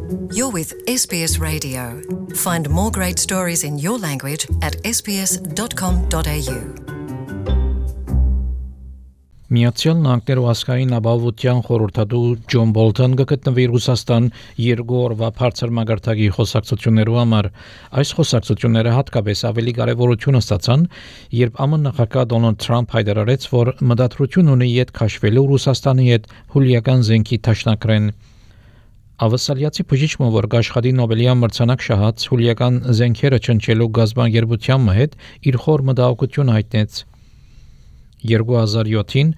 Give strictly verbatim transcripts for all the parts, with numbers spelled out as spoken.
You're with S B S Radio. Find more great stories in your language at s b s dot com dot a u. Միացյալ Նահանգներու ազգային ապահովության խորհրդատու Ջոն Բոլթոնը գտնվի Ռուսաստան երկու օրվա բարձր մագարտակի խոսակցություններու համար։ Այս խոսակցությունները հատկապես ավելի կարևորություն ստացան, երբ ԱՄՆ նախագահ Դոնալդ Թրամփ հայտարարեց, որ մտադրություն ունի իդ քաշվելու Ռուսաստանի հետ հուլիական զենքի դաշնակրեն։ Ավսալիացի բժիշկը, որ աշխատի Նոբելյան մրցանակ շահած հուլիական զենքերը չնչելու գազբանգերության հետ, իր խոր մտահոգություն հայտնեց։ երկու հազար յոթին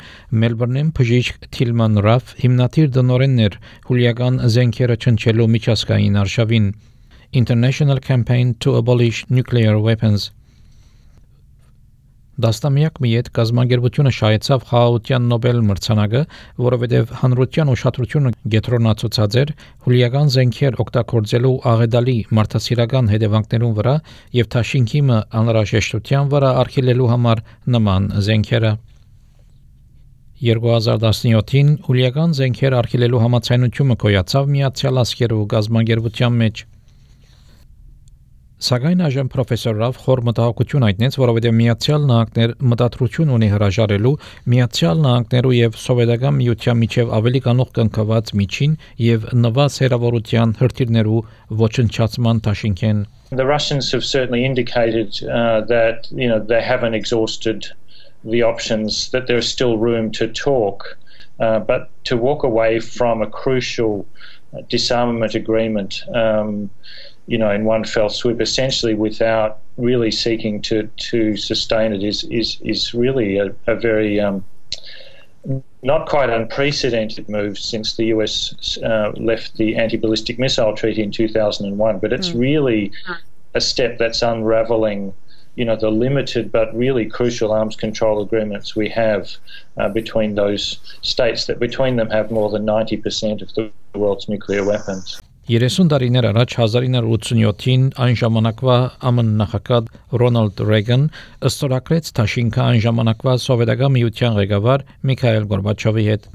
Մելբուրնում բժիշկ Թիլման Ռաֆ հիմնադիր դնորենն էր հուլիական զենքերը չնչելու միջազգային արշավին International Campaign to Abolish Nuclear Weapons. Դաստամյակ մի հետ գազբանգերությունը շահեցավ խաղաղության Նոբել մրցանակը, որովհետև հանրության ուշադրությունը գետրոնացուցած էր հուլիական զենքեր օգտագործելու աղետալի մարդասիրական հետևանքներուն վրա եւ Թաշինքիմը անհրաժեշտության վրա արգելելու համար նման զենքերը։ երկու հազար տասնյոթին հուլիական զենքեր արգելելու համաձայնությունը կոյացավ Միացյալ Աշխարհի գազբանգերության մեջ։ Սակայն այժմ պրոֆեսոր Ռաֆ խոր մտահոգություն հայտնեց, որովհետև Միացյալ Նահանգներ մտադրություն ունի հրաժարելու Միացյալ Նահանգներու եւ Սովետական Միության միջև ավելի կանող կնքված միջին եւ նվազ հերավորության հրթիռներու ոչնչացման դաշինքեն. The Russians have certainly indicated uh, that you know they haven't exhausted the options, that there's still room to talk, uh, but to walk away from a crucial uh, disarmament agreement um, you know, in one fell swoop, essentially without really seeking to, to sustain it is, is, is really a, a very um, not quite unprecedented move since the U S uh, left the anti-ballistic missile treaty in two thousand one. But it's mm. really a step that's unravelling, you know, the limited but really crucial arms control agreements we have uh, between those states that between them have more than ninety percent of the world's nuclear weapons. երեսուն տարիներ առաջ հազար ինը հարյուր ութսունյոթին այն ժամանակվա ԱՄՆ նախագահ Ռոնալդ Ռեգան ըստորագրեց Թաշինքը այն ժամանակվա Սովետական Միության ղեկավար Միքայել Գորբաչովի հետ։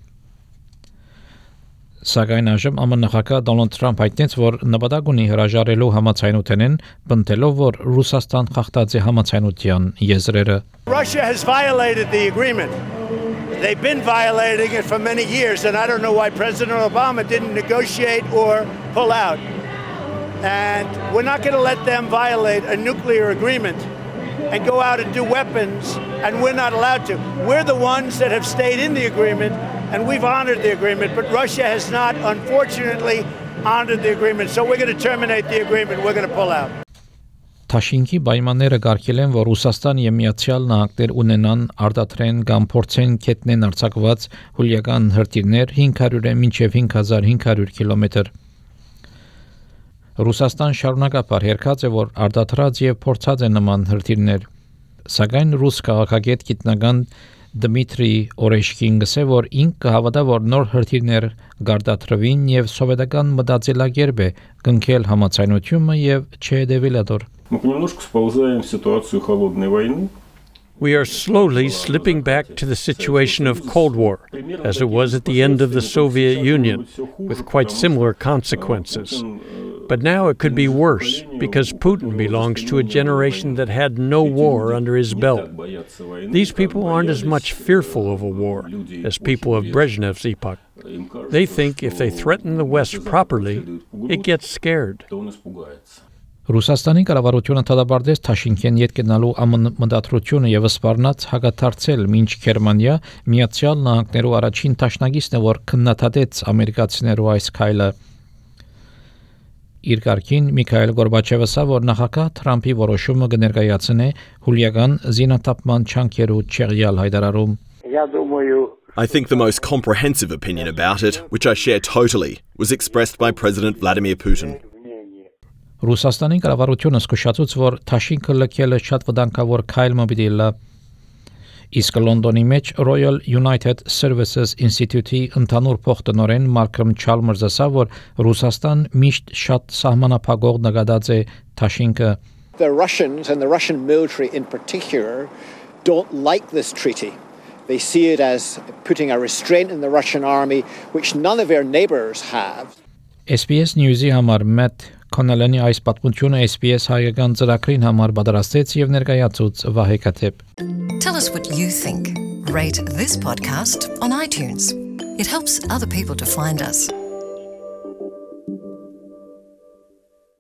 Սակայն այժմ ԱՄՆ նախագահ Դոնալդ Թրամփ հայտնեց, որ նպատակ ունի հրաժարելու համաձայնութենեն, պնդելով, որ Ռուսաստան խախտած է համաձայնության եզրերը։ Russia has violated the agreement. They've been violating it for many years, and I don't know why President Obama didn't negotiate or pull out. And we're not going to let them violate a nuclear agreement and go out and do weapons, and we're not allowed to. We're the ones that have stayed in the agreement, and we've honored the agreement, but Russia has not, unfortunately, honored the agreement. So we're going to terminate the agreement. We're going to pull out. Թաշինքի պայմանները կարգել են, որ Ռուսաստան եւ Միացյալ Նահանգներ ունենան արտադրեն կամ փորձեն կետնեն արձակված հուլիական հրթիռներ հինգ հարյուրը մինչև հինգ հազար հինգ հարյուր կիլոմետր։ Ռուսաստան շարունակապար հերքած է, որ արտադրած եւ փորձած է նման հրթիռներ։ Սակայն ռուս քաղաքագետ գիտնական Դմիտրի Օրեշկին գսե, որ ինք կհավատա, որ նոր հրթիռներ գարտադրվին եւ սովետական մտածելակերպ է կնքել համաձայնությունը եւ չհետևել ադոր։ Мы понемножку сползаем в ситуацию холодной войны. We are slowly slipping back to the situation of Cold War, as it was at the end of the Soviet Union, with quite similar consequences. But now it could be worse, because Putin belongs to a generation that had no war under his belt. These people aren't as much fearful of a war as people of Brezhnev's epoch. They think if they threaten the West properly, it gets scared. Ռուսաստանի կառավարությունը դադարեցրեց Թաշինքեն յետ գնալու ԱՄՆ մտադրությունը եւ սպառնաց հագաթարցել մինչ Գերմանիա Միացյալ Նահանգներու առաջին դաշնակիցն է, որ քննադատեց ամերիկացիներու այս քայլը։ Իր կարգին Միքայել Գորբաչովը ասա, որ նախագահ Թրամփի որոշումը կներկայացնե հուլիական զինաթափման չանքերու չեղյալ հայտարարում։ I think the most comprehensive opinion about it, which I share totally, was expressed by President Vladimir Putin. Ռուսաստանի կառավարությունը զսկուշացուց, որ Թաշինքը լքելը շատ վտանգավոր քայլ մը պիտի լա։ Իսկ Լոնդոնի մեջ Royal United Services Institute-ի ընդհանուր փոխտնօրեն Մալկոմ Չալմերսը ասա, որ Ռուսաստան միշտ շատ սահմանափակող նկատած է Թաշինքը։ The Russians and the Russian military in particular don't like this treaty. They see it as putting a restraint in the Russian army, which none of their neighbors have. S B S News-ի համար Matt Connellan-ի այս պատմությունը S B S հայկական ծրագրին համար պատրաստեց եւ ներկայացուց Վահե Կաթեփ. Tell us what you think. Rate this podcast on iTunes. It helps other people to find us.